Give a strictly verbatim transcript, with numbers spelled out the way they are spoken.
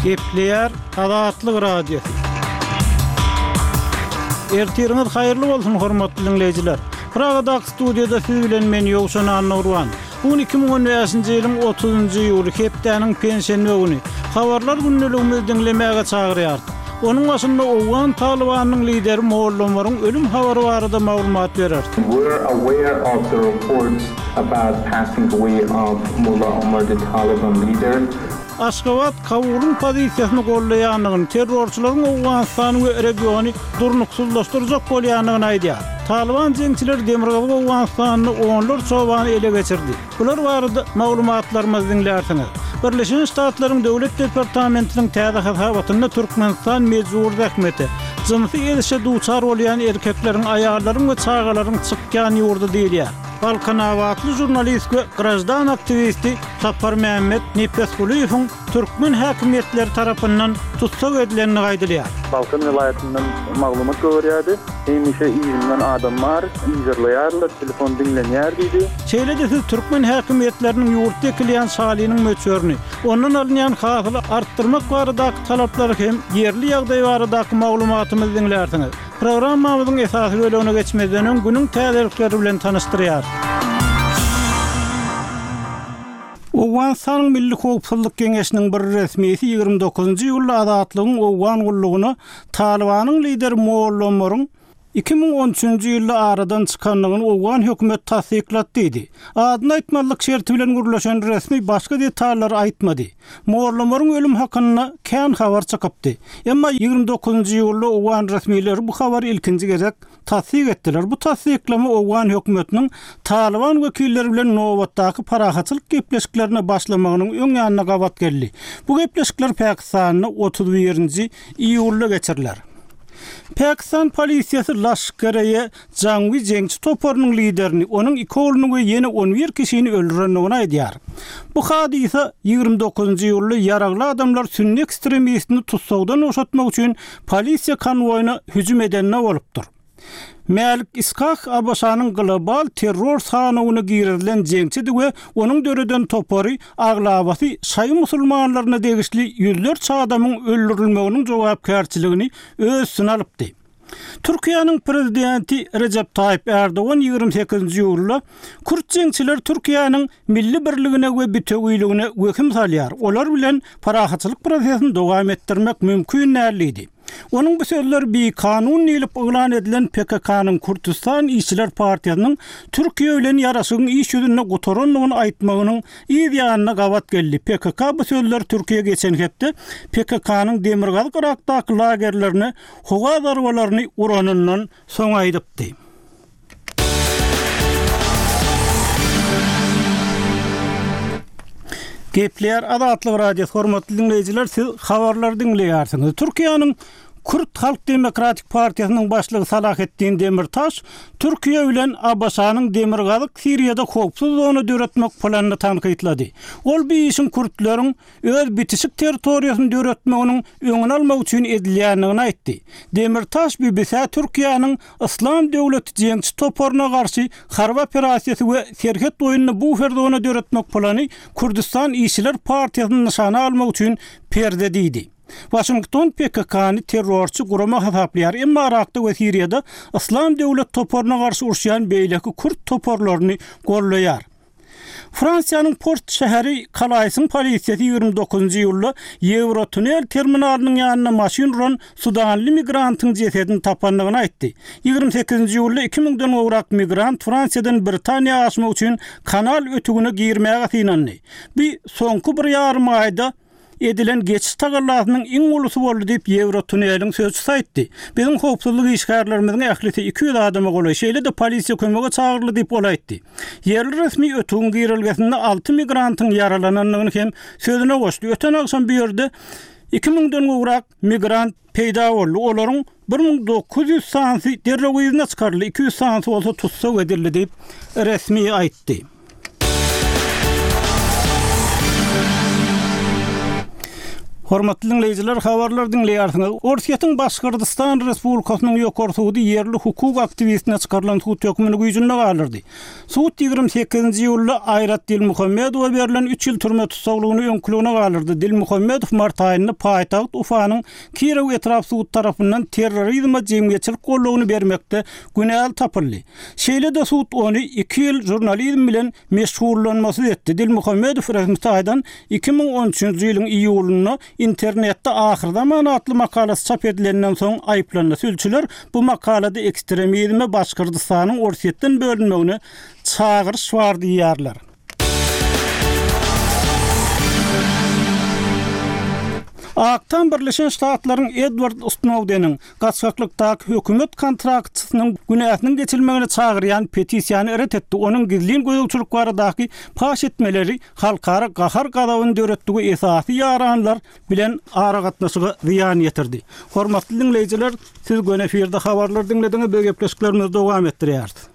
Gepleýär Azatlyk Radiosy. Ertiriňiz haýyrly bolsun hormatly dinleýjiler. Pragadaky studiýada siz bilen men Ýowşan Annurwan. Bu gün iki müň on bäşinji ýylyň otuzynjy iýuly, hepdäniň penşenbe güni. Habarlar gündeligimizi diňlemäge çagyrýarys. Onuň başynda Owgan Talybanyň lideri Molla Omaryň ölüm habary barada maglumat bereris. We're aware of the reports about passing away of Mullah Omar, the Taliban leader. Aşgabat Kabulyň pozisiýasyny gollaýandygyny, terrorçylaryň Owganystany we regiony durnuksyzlaşdyrjak bolýandygyny aýdýar. Talyban jeňçileri Demirgazyk Owganystanda onlarça obany ele geçirdi. Bular barada maglumatlarymyzy diňlärsiňiz. Birleşen Ştatlaryň Döwlet departamentiniň täze hasabatynda Türkmenistan mejbur zähmete, jynsy ezişe duçar bolýan erkekleriň, aýallaryň we çagalaryň çykýan ýurdy diýilýär. Balkanabatly žurnalist we graždan aktiwisti Saparmämmet Nepesgulyýewiň türkmen häkimiýetleri tarapyndan tussag edilendigi aýdylýar. Balkan welaýatyndan maglumat goýberýärdi. Hemişe yzyndan adam bar, yzarlaýarlar, telefon diňlenýär diýdi. Şeýle-de siz türkmen häkimiýetleriniň ýurtda ekilýän şalynyň möçberini, ondan alynýan hasyly artdyrmak baradaky talaplary hem ýerli ýagdaý baradaky maglumatymyzy diňlärsiňiz. Programmamyzyň esasy bölegine geçmezden öň günüň täzelikleri bilen tanyşdyrýar. Owganystanyň Milli Howpsuzlyk Geňeşiniň bir resmisi ýigrimi dokuzynjy iýulda Azatlygyň Owgan gullugyna Talybanyň lideri Molla Omaryň iki müň on üçünji ýylda aradan çykandygyny owgan hökümet tassyklady diýdi. Adyny aýtmazlyk şerti bilen gürleşen resmi başga detallary aýtmady. Molla Omaryň ölüm hakynda kän habar çykypdy. Emma ýigrimi dokuzynjy iýulda owgan resmileri bu habary ilkinji gezek tassyk etdiler. Bu tassyklama owgan hökümetiniň Talyban wekilleri bilen nobatdaky parahatçylyk gepleşiklerine başlamagynyň öň ýanyna gabat geldi. Bu gepleşikler Pakistanda otuz birinji iýulda geçiriler. Pakistan polisiýasy Laşkareýe Jangwi jeňçi toparynyň liderini, onuň iki ogluny we ýene on bir kişini öldürendigini aýdýar. Bu hadysa ýigrimi dokuzynjy iýulda ýaragly adamlar sünni ekstremistini tussagdan boşatmak üçin polisiýa konwoýuna hüjüm edende bolupdyr. Mälik Iskak A B Ş-nyň global terror sanawyna girizilen jeňçidi we onuň döreden topary aglabasy şaýy musulmanlaryna degişli ýüzlerçe adamyň öldürilmeginiň jogapkärçiligini öz üstüne alypdy. Türkiýäniň prezidenti Recep Tayyip Erdogan ýigrimi sekizinji iýulda Kürt jeňçiler Türkiýäniň milli birligine we bütewiligine wehim salýar. Olar bilen parahatçylyk prosesini dowam etdirmek mümkin däl diýdi. Onuň bu sözleri bir kanun diýlip yglan edilen P K K-nyň Kürdistan Işçiler Partiýasynyň Türkiýe bilen ýaraşygyň iş ýüzünde gutarandygyny aýtmagynyň yz ýanyna gabat geldi. P K K bu sözler Türkiýe geçen hepde P K K-nyň Demirgazyk Irakdaky lagerlerine howa zarbalaryny uranyndan soň aýdypdy. Gepleýär Azatlyk Radiosy, hormatly dinleýjiler, siz habarlary diňleýärsiňiz. Türkiýäniň Kürt Halk Demokratik Partiýasynyň başlygy Salahattin Demirtaş Türkiýe bilen A B Ş-nyň Demirgazyk Siriýada howpsuz zona döretmek planyny tankytlady. Ol bir işiň kürtleriň öz bitişik territoriýasyny döretmeginiň öňüni almak üçin edilýändigini aýtdy. Demirtaş B B C Türkiýäniň Islam döwleti jeňçi toparyna garşy harby operasiýasy we serhet boýunda bufer zona döretmek plany Kürdistan Işçiler Partiýasyny nyşana almak üçin perde diýdi. Washington P K K-ny terrorçy gurama hasaplaýar, emma Irakda we Siriýada Islam döwlet toparyna garşy uruşýan beýleki kürt toparlaryny gollaýar. Fransiýanyň port şäheri Kalaýsyň polisiýasy ýigrimi dokuzynjy iýulda Ýewrotunel terminalynyň ýanynda maşyn uran sudanly migrantyň jesedini tapandygyny aýtdy. Ýigrimi sekizinji iýulda iki müňden gowrak migrant Fransiýadan Britaniýa aşmak üçin kanal ötügine girmäge synandy. Bu soňky bir ýarym aýda edilen geçiş tagallasynyň iň ulusy boldy diýip Ýewrotuneliň sözçüsi aýtdy. Biziň howpsuzlyk işgärlerimiziň ählisi iki ýüz adama golaý, şeýle-de polisiýa kömege çagyryldy diýip ol aýtdy. Ýerli resmi ötügiň girelgesinde alty migrantyň ýaralanandygyny hem sözüne goşdy. Öten agşam bu ýerde iki müňden gowrak migrant peýda boldy. Olaryň bir müň dokuz ýüz sanysy derrew yzyna çykaryldy, iki ýüz sanysy bolsa tussag edildi diýip resmi aýtdy. Hormatly diňleýjiler, habarlar diňleýärsiňiz. Orsýetiň Başgyrdystan Respublikasynyň ýokary sudy ýerli hukuk aktiwistine çykarylan sud hökmüni güýjünde galdyrdy. Sud ýigrimi sekizinji iýulda Aýrat Dilmuhammedowa berlen üç ýyl türme tussaglygyny öňküligine galdyrdy. Dilmuhammedow mart aýynda paýtagt Ufanyň Kirow etrap sudy tarapyndan terrorizme jemgyýetçilik goldawyny bermekde günäli tapyldy. Şeýle-de sud ony iki ýyl žurnalizm bilen meşgullanmasyz etdi. Dilmuhammedow resmi taýdan iki müň on üçünji ýylyň iýulynda internetde Ahyrzaman atly makalasy çap edilenden soň aýyplandy. Sülçüler bu makalada ekstremizme Başgyrdystanyň Orsýetden bölünmegine çagyryş bar diýýärler. Ak Tam Birleşen Ştatlaryň Edward Snowdeniň gaçgaklykdaky hökümet kontraktçysynyň günäsiniň geçilmegine çagyrýan petisiýany ret etdi. Onuň gizlin gözegçilik baradaky paş etmeleri halkara gahar gazabyny döretdi we esasy ýaranlar bilen aragatnaşyga zyýan ýetirdi. Hormatly diňleýjiler, siz göni efirde habarlar diňlediňiz, biz gepleşiklerimizi dowam etdirýäris.